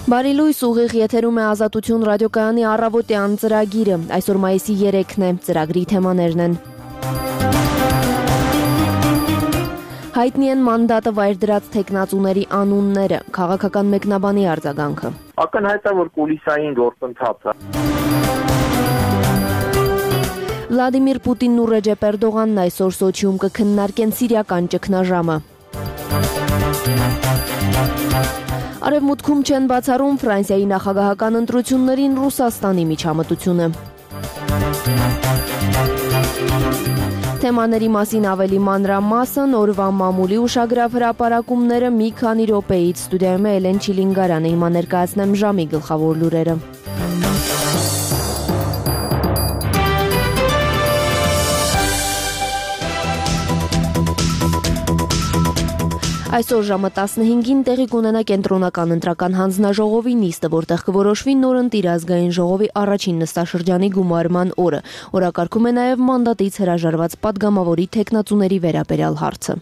Բարի լույս, ուղիղ եթերում է Ազատություն ռադիոկայանի առավոտյան ծրագիրը, այսօր մայիսի 3-ն է, ծրագրի թեմաներն են. Հայտնի են մանդատը վայր դրած թեկնածուների անունները, քաղաքական մեկնաբանի արձագանքը. Ակնհայտ է, որ կուլիսային գործընթաց է. Վլադիմիր Պուտինն ու Ռեջեփ Էրդողանն այսօր Սոչիում կքննարկեն սիրիական ճգնաժամը. Արևմուտքում չեն բացառում Ֆրանսիայի նախագահական ընտրություններին Ռուսաստանի միջամտությունը. Թեմաների մասին ավելի մանրամասն օրվա մամուլի ուշագրավ հրապարակումները մի քանի րոպեից ստուդիայում է Էլեն Չիլինգարյանը, հիմա ներկայացնեմ ժամի գլխավոր լուրերը. Այսօր ժամը 15-ին տեղի կունենա կենտրոնական ընտրական հանձնաժողովի նիստը, որտեղ կորոշվի նորընտիր ազգային ժողովի առաջին նստաշրջանի գումարման օրը։ Օրակարգում է նաև մանդատից հրաժարված падգամավորի թեկնածուների վերաբերյալ հարցը։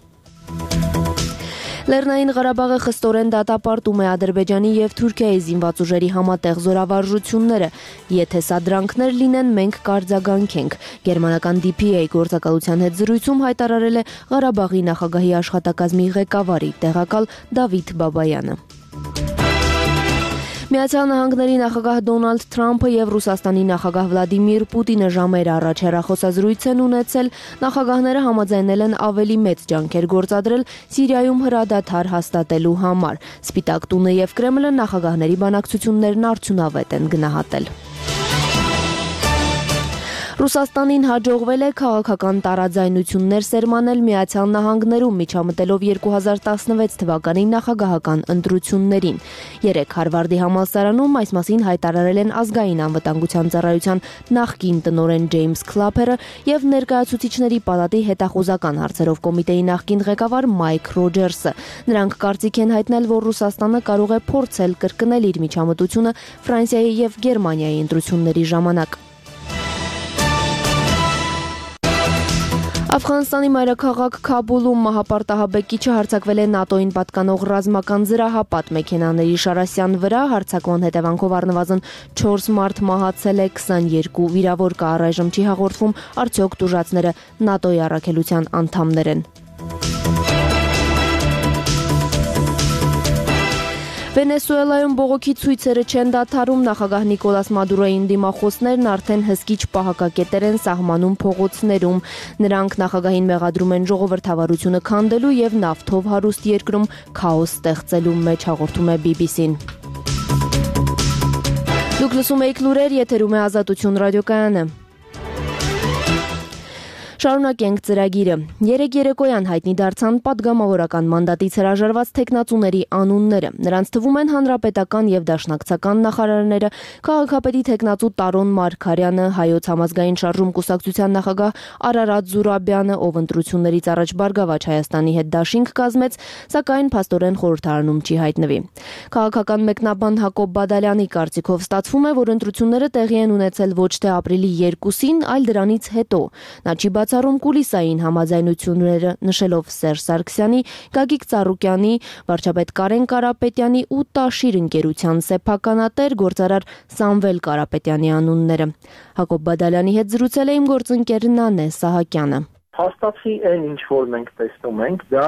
Լեռնային Ղարաբաղը խստորեն դատապարտում է Ադրբեջանի և Թուրքիայի զինված ուժերի համատեղ զորավարժությունները։ Եթե սադրանքներ լինեն, մենք կարձագանքենք։ Գերմանական DPA գործակալության հետ զրույցում հայտարարել է Ղարաբաղի նախագահի աշխատակազմի ղեկավարի տեղակալ Դավիթ Բաբայանը։ Միացյալ Նահանգների նախագահ Դոնալդ Թրամփը և Ռուսաստանի նախագահ Վլադիմիր Պուտինը ժամեր առաջ հեռախոսազրույց են ունեցել, նախագահները համաձայնել են ավելի մեծ ջանքեր գործադրել Սիրիայում հրադադար հաստատելու համար։ Սպիտակ տունը և Կրեմլը նախագահների բանակցություններն արդյունավետ են գնահատել։ Ռուսաստանին հաջողվել է քաղաքական տարաձայնություններ սերմանել Միացյալ Նահանգներում, միջամտելով 2016 թվականի նախագահական ընտրություններին։ Երեկ Հարվարդի համալսարանում այս մասին հայտարարել են ազգային անվտանգության ծառայության նախկին տնօրեն Ջեյմս Քլափերը և Ներկայացուցիչների պալատի հետախուզական հարցերով կոմիտեի նախկին ղեկավար Մայք Ռոջերսը։ Նրանք կարծիք են հայտնել, որ Ռուսաստանը կարող է փորձել կրկնել իր միջամտությունը Ֆրանսիայի և Գերմանիայի ընտրությունների ժամանակ։ Աֆղանստանի մայրաքաղաք Քաբուլում մահապարտահաբեկիչը հարձակվել է ՆԱՏՕ-ին պատկանող ռազմական զրահապատ մեքենաների շարասյան վրա, հարձակման հետևանքով առնվազն 4 մարդ մահացել է, 22 վիրավոր կա, առայժմ չի հաղորդվում արդյոք տուժածները ՆԱՏՕ-ի առաքելության անդամներ են։ Վենեսուելայում բողոքի ցույցերը չեն դադարում, նախագահ Նիկոլաս Մադուրոյի դիմախոսներն արդեն հսկիչ պահակակետեր են սահմանում փողոցներում։ Նրանք նախագահին մեղադրում են ժողովրդավարությունը քանդելու և նավթով հարուստ երկրում քաոս ստեղծելու մեջ, հաղորդում է BBC-ն։ Դուք լսում եք լուրեր, եթերում է Ազատություն ռադիոկայանը։ Շարունակենք ծրագիրը։ Երեկ երեկոյան հայտնի դարձան падգամավորական մանդատից հրաժարված թեկնածուների անունները։ Նրանց թվում են հանրապետական և դաշնակցական նախարարները, քաղաքապետի թեկնածու Տարոն Մարգարյանը, Հայոց համազգային շարժում կուսակցության նախագահ Արարատ Զուրաբյանը, ով ընտրություններից առաջ Բարգավաճ Հայաստանի հետ դաշինք կազմեց, սակայն փաստորեն խորհրդարանում չի հայտնվի։ Քաղաքական մեկնաբան Հակոբ Բադալյանի կարծիքով ստացվում է, որ ընտրությունները տեղի են ունեցել ոչ թե ապրիլի 2-ին, այլ դրանից հետո։ Նա չի բացառում կուլիսային համաձայնությունները, նշելով Սերժ Սարգսյանի, Գագիկ Ծառուկյանի, վարչապետ Կարեն Կարապետյանի ու Տաշիր ընկերության սեփականատեր գործարար Սամվել Կարապետյանի անունները։ Հակոբ Բադալյանի հետ զրուցել է իմ գործընկեր Նանե Սահակյանը։ Փաստացի այն, ինչ որ մենք տեսնում ենք, դա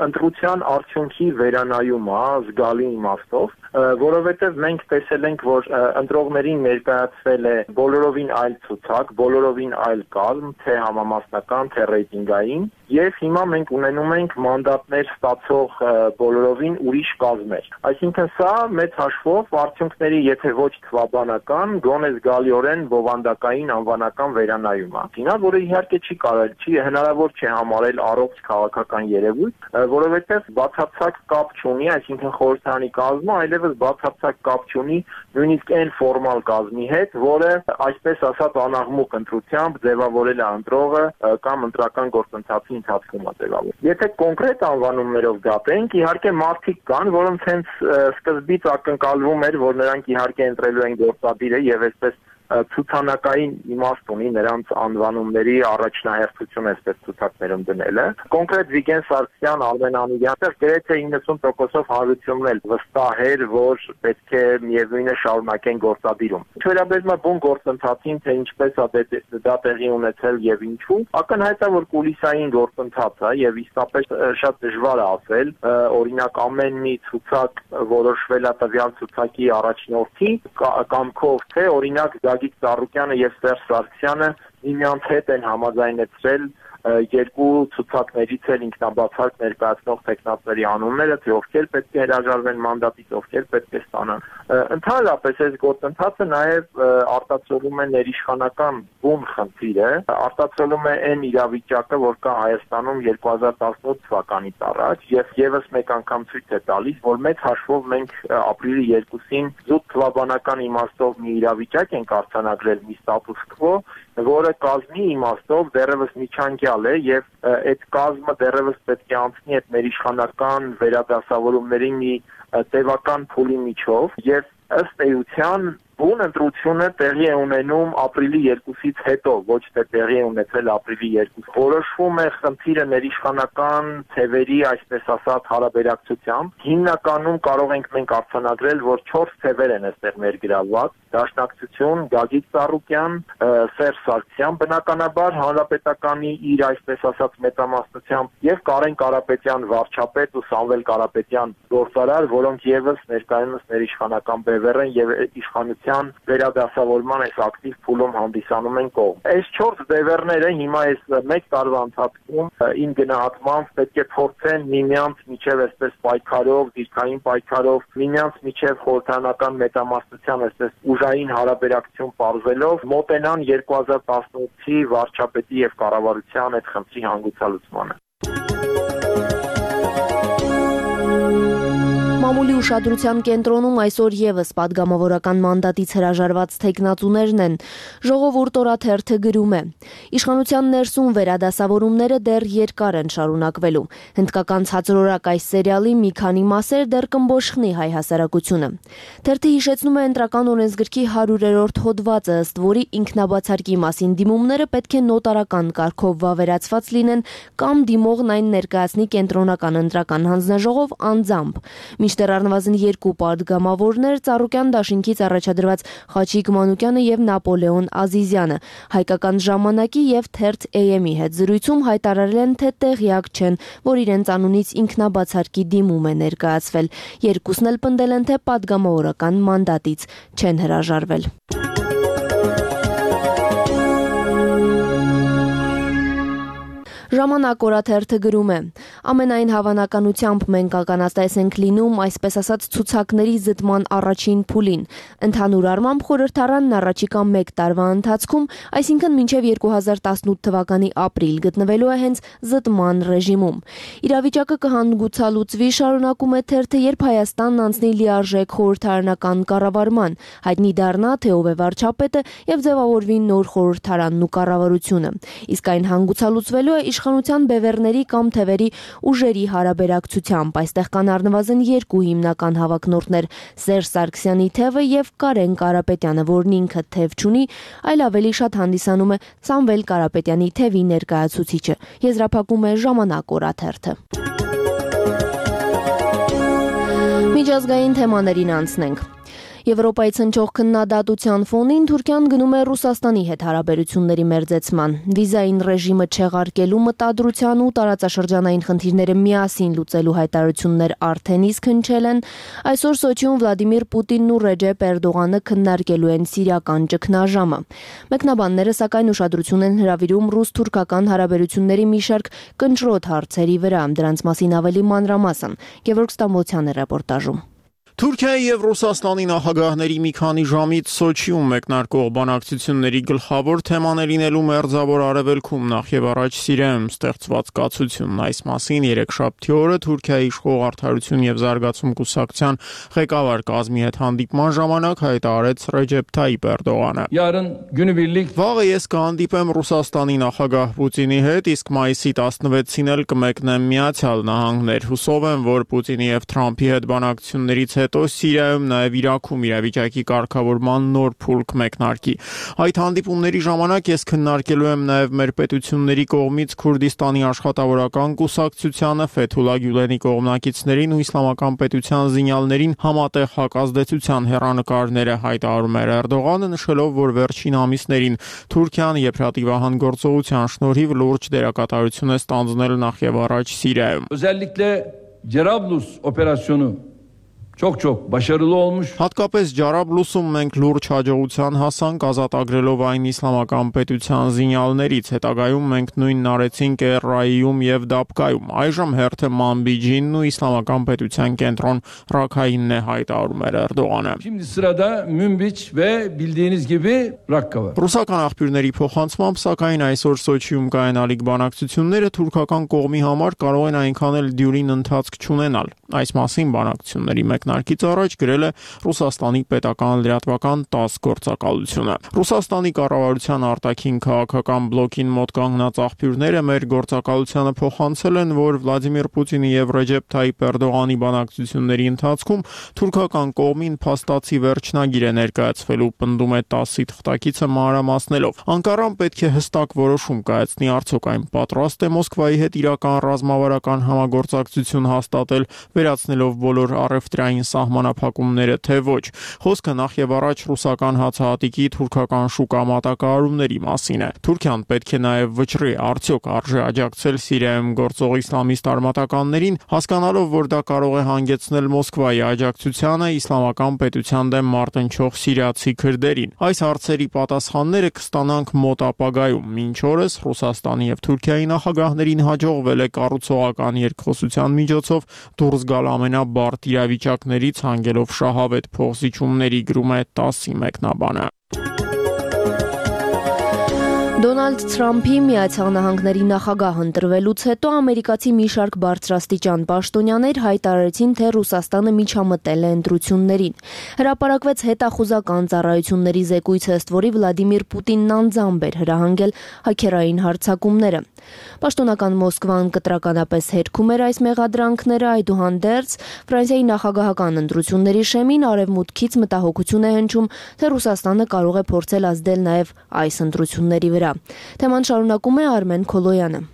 ընտրության արդյունքի վերանայում է զգալի իմաստով, որովհետև մենք տեսել ենք, որ ընտրողներին ներկայացվել է բոլորովին այլ ցուցակ, բոլորովին այլ կազմ, թե համամասնական, թե ռեյտինգային, եւ հիմա մենք ունենում ենք մանդատներ ստացող բոլորովին ուրիշ կազմեր։ Այսինքն սա մեծ հաշվով արդյունքների, եթե ոչ թվաբանական, գոնե զգալիորեն բովանդակային անվանական վերանայում է։ Դինա, որը իհարկե չի կարելի, հնարավոր չէ համարել առողջ քաղաքական երևույթ, որովհետև բացարձակ կապ չունի, այսինքն խորհրդարանի կազմը այլևս բացարձակ կապ չունի նույնիսկ այն ֆորմալ կազմի հետ, որը այսպես ասած անաղմուկ ընտրությամբ ձևավորել է ընտրողը կամ ընտրական գործընթացի ընթացքում է ձևավորել։ Եթե կոնկրետ անվանումներով դատենք, իհարկե մարդիկ կան, որոնց հենց սկզբից ակնկալվում էր, որ նրանք իհարկե ընտրելու են գործադիրը եւ այսպես ցուցանակային իմաստ ունի նրանց անվանումների առաջնահերթություն այսպես ցուցակներում դնելը։ Կոնկրետ Վիգեն Սարգսյան, Արմեն Անուլյանը գրեթե 90%-ով հարությունն էլ վստահ էր, որ պետք է միևնույնը շարունակեն գործադիրում։ Վերաբերում է բուն գործընթացին, թե ինչպես է դա տեղի ունեցել եւ ինչու, ակնհայտ է, որ կուլիսային գործընթաց է եւ իսկապես շատ դժվար է ասել, օրինակ ամեն մի ցուցակ որոշվել է տվյալ ցուցակի առաջնորդի կամքով, թե օրինակ Գագիկ Ծառուկյանը եւ Սերժ Սարգսյանը միմյանց հետ են համաձայնեցրել երկու ցուցակներից էլ ինքնաբացարկ ներկայացնող տեխնատների անունները, թե ովքեր պետք է հրաժարվեն մանդատից, ովքեր պետք է ստանան։ Ընդհանրապես այս գործընթացը նաև արտացոլում է ներիշխանական բուն խնդիրը, արտացոլում է այն իրավիճակը, որ կա Հայաստանում 2018 թվականից առաջ, եւ եւս մեկ անգամ ցույց է տալիս, որ մեծ հաշվով մենք ապրիլի 2-ին զուտ թվաբանական իմաստով մի իրավիճակ ենք արձանագրել, մի ստատուս քվո, որը կազմի իմաստով դեռևս միջանկյալ է եւ այդ կազմը դեռևս պետք է անցնի այդ ներիշխանական վերադասավորումների մի տևական փուլի միջով եւ ըստ էության բուն ընտրությունը տեղի է ունենում ապրիլի 2-ից հետո, ոչ թե տեղի է ունեցել ապրիլի 2։ Որոշվում է խնդիրը ներիշխանական թևերի, այսպես ասած, հարաբերակցությամբ։ Հիմնականում կարող ենք մենք արձանագրել, որ 4 թևեր են այստեղ ներգրավված՝ Դաշնակցություն, Գագիկ Ծառուկյան, Սերժ Սարգսյան, բնականաբար Հանրապետականի իր այսպես ասած մեծամասնությամբ եւ Կարեն Կարապետյան վարչապետ ու Սամվել Կարապետյան գործարար, որոնք եւս ներկայումս ներիշխանական բևեռ են եւ իշխանության վերադասավորման այս ակտիվ փուլում հանդիսանում են կողմ։ Այս 4 բևեռները հիմա այս 1 տարվա ընթացքում իմ գնահատմամբ պետք է փորձեն միմյանց միջև այսպես պայքարով, դիրքային պայքարով, միմյանց միջև խորհրդանական մեծամասնության այսպես ուժային հարաբերակցություն պարզելով մոտենան 2018-ի վարչապետի եւ կառավարության այդ խնդրի հանգուցալուծմանը։ Մամուլի ուշադրության կենտրոնում այսօր եւս падգամավորական մանդատից հրաժարված տեխնատուներն են։ Ժողովուրդ օրաթերթը գրում է. Իշխանության ներսում վերադասավորումները դեռ երկար են շարունակվելու։ Հնդկական ցածրորակ այս սերիալի մի քանի մասեր դեռ կմբոշխնի հայ հասարակությունը։ Թերթը հիշեցնում է ընտրական օրենսգրքի 100-րդ հոդվածը, ըստ որի ինքնաբացարկի մասին դիմումները պետք է նոտարական կարգով վավերացված լինեն կամ դիմողն այն ներկայացնի կենտրոնական ընտրական հանձնաժողով անձամբ։ Մինչդեռ առնվազն 2 падգամավորներ Ծառուկյան դաշինքից առաջադրված Խաչիկ Մանուկյանը եւ Նապոլեոն Ազիզյանը հայկական ժամանակի եւ թերթ AM-ի հետ զրույցում հայտարարել են, թե տեղյակ չեն, որ իրենց անունից ինքնաբացարկի դիմում է ներկայացվել։ Երկուսն էլ պնդել են, թե падգամավորական մանդատից չեն հրաժարվել։ Ժամանակ օրաթերթը գրում է. ամենայն հավանականությամբ մենք ականատես ենք լինում այսպես ասած ցուցակների զտման առաջին փուլին։ Ընդհանուր առմամբ խորհրդարանն առաջիկա 1 տարվա ընթացքում, այսինքն մինչև 2018 թվականի ապրիլ գտնվելու է հենց զտման ռեժիմում։ Իրավիճակը կհանգուցալուծվի, շարունակում է թերթը, երբ Հայաստանն անցնի լիարժեք խորհրդարանական կառավարման, հայտնի դառնա, թե ով է վարչապետը եւ ձևավորվի նոր խորհրդարանն ու կառավարությունը։ Իսկ այն հանգուցալուծվելու է իշխանության բևեռների կամ թևերի ուժերի հարաբերակցությամբ։ Այստեղ կան առնվազն 2 հիմնական հավակնորդներ՝ Սերժ Սարգսյանի թևը եւ Կարեն Կարապետյանը, որն ինքը թև չունի, այլ ավելի շատ հանդիսանում է Սամվել Կարապետյանի թևի ներկայացուցիչը։ Եզրափակում է Ժամանակ օրաթերթը։ Միջազգային թեմաներին անցնենք։ Եվրոպայից հնչող քննադատության ֆոնին Թուրքիան գնում է Ռուսաստանի հետ հարաբերությունների մերձեցման։ Վիզային ռեժիմը չեղարկելու մտադրության ու տարածաշրջանային խնդիրները միասին լուծելու հայտարարություններ արդեն իսկ հնչել են։ Այսօր Սոչիում Վլադիմիր Պուտինն ու Ռեջեփ Էրդողանը քննարկելու են սիրիական ճգնաժամը։ Մեկնաբանները սակայն ուշադրություն են հրավիրում ռուս-թուրքական հարաբերությունների մի շարք կնճռոտ հարցերի վրա։ Դրանց մասին ավելի մանրամասն Գևորգ Ստամբոլցյանի ռեպորտաժում։ Թուրքիայի եւ Ռուսաստանի նախագահների մի քանի ժամից Սոչիում մեկնարկող բանակցությունների գլխավոր թեման է լինելու Մերձավոր Արևելքում նախ եւ առաջ Սիրիայում ստեղծված կացությունն։ Այս մասին երեքշաբթի օրը Թուրքիայի իշխող արդարություն եւ զարգացում կուսակցության ղեկավար կազմի հետ հանդիպման ժամանակ հայտարարեց Ռեջեփ Թայիպ Էրդողանը. Վաղը ես կհանդիպեմ Ռուսաստանի նախագահ Պուտինի հետ, իսկ մայիսի 16-ին էլ կմեկնեմ Միացյալ Նահանգներ։ Հուսով եմ, որ Պուտինի եւ Թրամփի հետ բանակցություններից հետո Սիրիայում նաև Իրաքում իրավիճակի կարգավորման նոր փուլք մեկնարկի։ Այդ հանդիպումների ժամանակ ես քննարկելու եմ նաև մեր պետությունների կողմից Քուրդիստանի աշխատավորական կուսակցությանը, Ֆեթուլա Գյուլենի կողմնակիցներին ու իսլամական պետության զինյալներին համատեղ հակազդեցության հեռանկարները, հայտարարում էր Էրդողանը, նշելով, որ վերջին ամիսներին Թուրքիան եփրատիվահան գործողության շնորհիվ լուրջ դերակատարություն է ստանձնել նախ եւ առաջ Սիրիայում։ Özellikle Cerablus operasyonu çok başarılı olmuş. Հատկապես Ջարաբլուսում մենք լուրջ հաջողության հասանք ազատագրելով այն իսլամական պետության զինյալներից, հետագայում մենք նույնն արեցինք Էռայիում եւ Դաբկայում, այժմ հերթը Մանբիջինն ու իսլամական պետության կենտրոն Ռաքայինն է, հայտարարում էր Էրդողանը։ Şimdi sırada Münbiç ve bildiğiniz gibi Rakka var. Ռուսական աղբյուրների փոխանցմամբ, սակայն այսօր Սոչիում կայանալիք բանակցությունները թուրքական կողմի համար կարող են այնքան էլ դյուրին ընթացք չունենալ։ Այս մասին բանակցությունների մեկնարկից առաջ գրել է Ռուսաստանի պետական լրատվական ՏԱՍՍ գործակալությունը։ Ռուսաստանի կառավարության արտաքին քաղաքական բլոկին մոտ կանգնած աղբյուրները մեր գործակալությանը փոխանցել են, որ Վլադիմիր Պուտինի եւ Ռեջեփ Թայիփ Էրդողանի բանակցությունների ընթացքում թուրքական կողմին փաստացի վերջնագիր է ներկայացվելու, պնդում է ՏԱՍՍ-ի թղթակիցը մանրամասնելով։ Անկարան պետք է հստակ որոշում կայացնի, արդյոք այն պատրաստ է Մոսկվայի հետ իրական ռազմավարական համագործակցություն հաստատել, վերացնելով բոլոր առևտրային սահմանափակումները, թե ոչ։ Խոսքը նախ եւ առաջ ռուսական հացահատիկի թուրքական շուկա մատակարարումների մասին է։ Թուրքիան պետք է նաեւ վճռի, արդյոք արժե աջակցել Սիրիայում գործող իսլամիստ արմատականներին, հասկանալով, որ դա կարող է հանգեցնել Մոսկվայի աջակցությանը իսլամական պետության դեմ մարտնչող սիրիացի քրդերին։ Այս հարցերի պատասխանները կստանանք մոտ ապագայում։ Մինչ օրս Ռուսաստանի եւ Թուրքիայի նախագահներին հաջողվել է կառուցողական երկխոսության միջոցով դուրս գալ ամենաբարդ իրավիճակներից, հանգելով շահավետ փոխզիջումների, գրում է ՏԱՍՍ-ի մեկնաբանը։ Դոնալդ Թրամփի Միացյալ Նահանգների նախագահ ընտրվելուց հետո ամերիկացի մի շարք բարձրաստիճան պաշտոնյաներ հայտարարեցին, թե Ռուսաստանը միջամտել է ընտրություններին։ Հրապարակվեց հետախուզական ծառայությունների զեկույց, ըստ որի Վլադիմիր Պուտինն անձամբ էր հրահանգել հաքերային հարձակումները։ Պաշտոնական Մոսկվան կտրականապես հերքում էր այս մեղադրանքները, այդուհանդերձ Ֆրանսիայի նախագահական ընտրությունների շեմին արևմուտքից մտահոգություն է հնչում, թե Ռուսաստանը կարող է փորձել ազդել նաև այս ընտրությունների վրա։ Թեման շարունակում է Արմեն Քոլոյանը։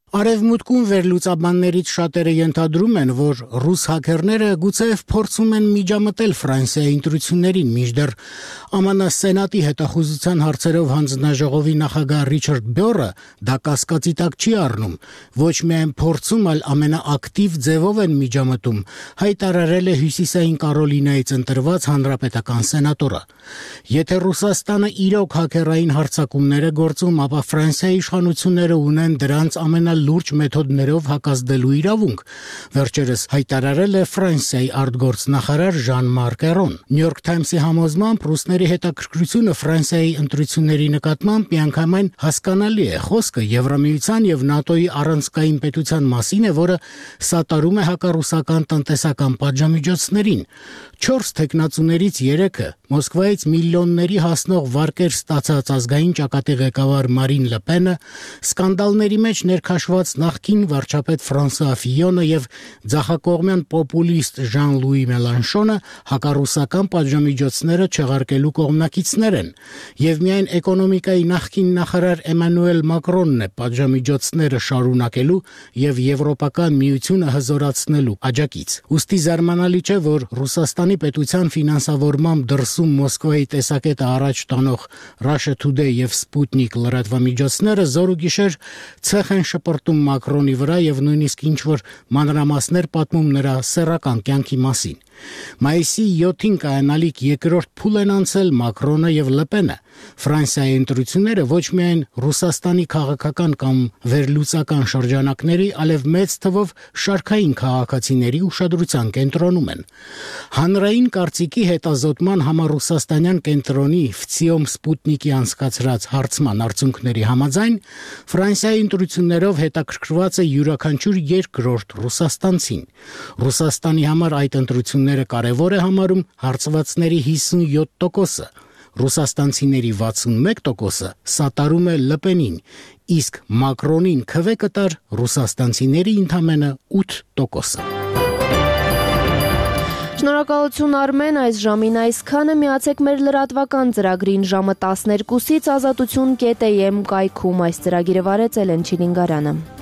Արևմուտքում վերլուծաբաններից շատերը ենթադրում են, որ ռուս հաքերները գուցեև փորձում են միջամտել Ֆրանսիայի ընտրություններին, մինչդեռ ԱՄՆ Սենատի հետախուզության հարցերով հանձնաժողովի նախագահ Ռիչարդ Բյորը դա կասկածի տակ չի առնում, ոչ միայն փորձում, այլ ամենաակտիվ ձևով են միջամտում, հայտարարել է Հյուսիսային Կարոլինայից ընտրված հանրապետական սենատորը։ Եթե Ռուսաստանը իրոք հաքերային հարձակումներ է գործում, ապա Ֆրանսիայի իշխանությունները ունեն դրանց ամենալուրջ մեթոդներով հակազդելու իրավունք, վերջերս հայտարարել է Ֆրանսիայի արտգործնախարար Ժան-Մարկ Էրոն։ New York Times-ի համոզմամբ ռուսների հետաքրքրությունը Ֆրանսիայի ընտրությունների նկատմամբ միանգամայն հասկանալի է։ Խոսքը Եվրամիության եւ ՆԱՏՕ-ի առանցքային պետության մասին է, որը սատարում է հակառուսական տնտեսական պատժամիջոցներին։ 4 թեկնածուներից 3-ը Մոսկվայից միլիոնների հասնող վարկեր ստացած ազգային ճակատի ղեկավար Մարին Լը Պենը, սկանդալների մեջ ներքաշված նախկին վարչապետ Ֆրանսուଆ Ֆիյոնը եւ ձախակողմյան պոպուլիստ Ժան-Լուի Մելանշոնը հակառուսական պատժամիջոցները չեղարկելու կողմնակիցներ են, եւ միայն էկոնոմիկայի նախկին նախարար Էմանուել Մակրոնն է պատժամիջոցները շարունակելու եւ Եվրոպական միությունը հզորացնելու աջակից։ Ուստի զարմանալի չէ, որ Ռուսաստանի պետության ֆինանսավորմամբ դրսում Մոսկվայի տեսակետը առաջ տանող Russia Today եւ Sputnik լրատվամիջոցները զոր ու գիշեր ցեխ են շպրտում Մակրոնի վրա եւ նույնիսկ ինչ-որ մանրամասներ պատմում նրա սեռական կյանքի մասին։ Մայիսի 7-ին կայանալիք երկրորդ փուլ են անցել Մակրոնը եւ Լը Պենը։ Ֆրանսիայի ընտրությունները ոչ միայն Ռուսաստանի քաղաքական կամ վերլուծական շրջանակների, այլև մեծ թվով շարքային քաղաքացիների ուշադրության կենտրոնում են։ Հանրային կարծիքի հետազոտման համառուսաստանյան կենտրոնի FCIOM Sputnik-ի անցկացրած հարցման արդյունքների համաձայն Ֆրանսիայի ընտրություններով հետաքրքրված է յուրաքանչյուր երկրորդ ռուսաստանցին։ Ռուսաստանի համար այդ ընտրությունները կարևոր է համարում հարցվածների 57%-ը, ռուսաստանցիների 61%-ը սատարում է Լը Պենին, իսկ Մակրոնին քվե կտար ռուսաստանցիների ընդամենը 8%-ը։ Շնորհակալություն Արմեն, այս ժամին այսքանը, միացեք մեր լրատվական ծրագրին ժամը 12-ից ազատություն.am կայքում, այս ծրագիրը վարեց Էլեն Չիլինգարյանը։